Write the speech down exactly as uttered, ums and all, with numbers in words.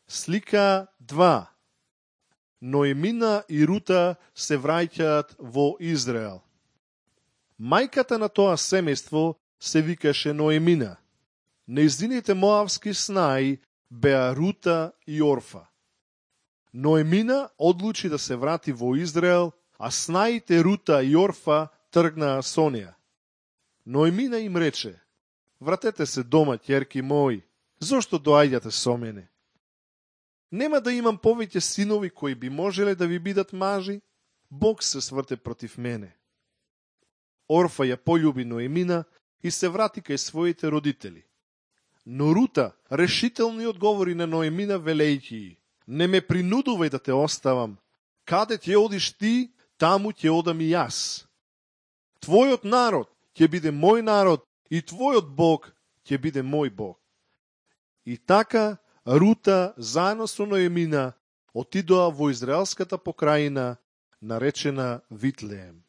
Слика два. Ноемина и Рута се враќаат во Израел. Мајката на тоа семејство се викаше Ноемина. Нејзините моавски снаи беа Рута и Орфа. Ноемина одлучи да се врати во Израел, а снаите Рута и Орфа тргнаа со неа. Ноемина им рече: вратете се дома, ќерки мои, зошто доаѓате со мене? Нема да имам повеќе синови кои би можеле да ви бидат мажи? Бог се сврте против мене. Орфа ја полюби Ноемина и се врати кај своите родители. Но Рута решително одговори на Ноемина велејќи: не ме принудувај да те оставам. Каде ќе одиш ти, таму ќе одам и јас. Твојот народ ќе биде мој народ и твојот Бог ќе биде мој Бог. И така Рута заедно со Ноемина отидоа во израелската покрајина наречена Витлеем.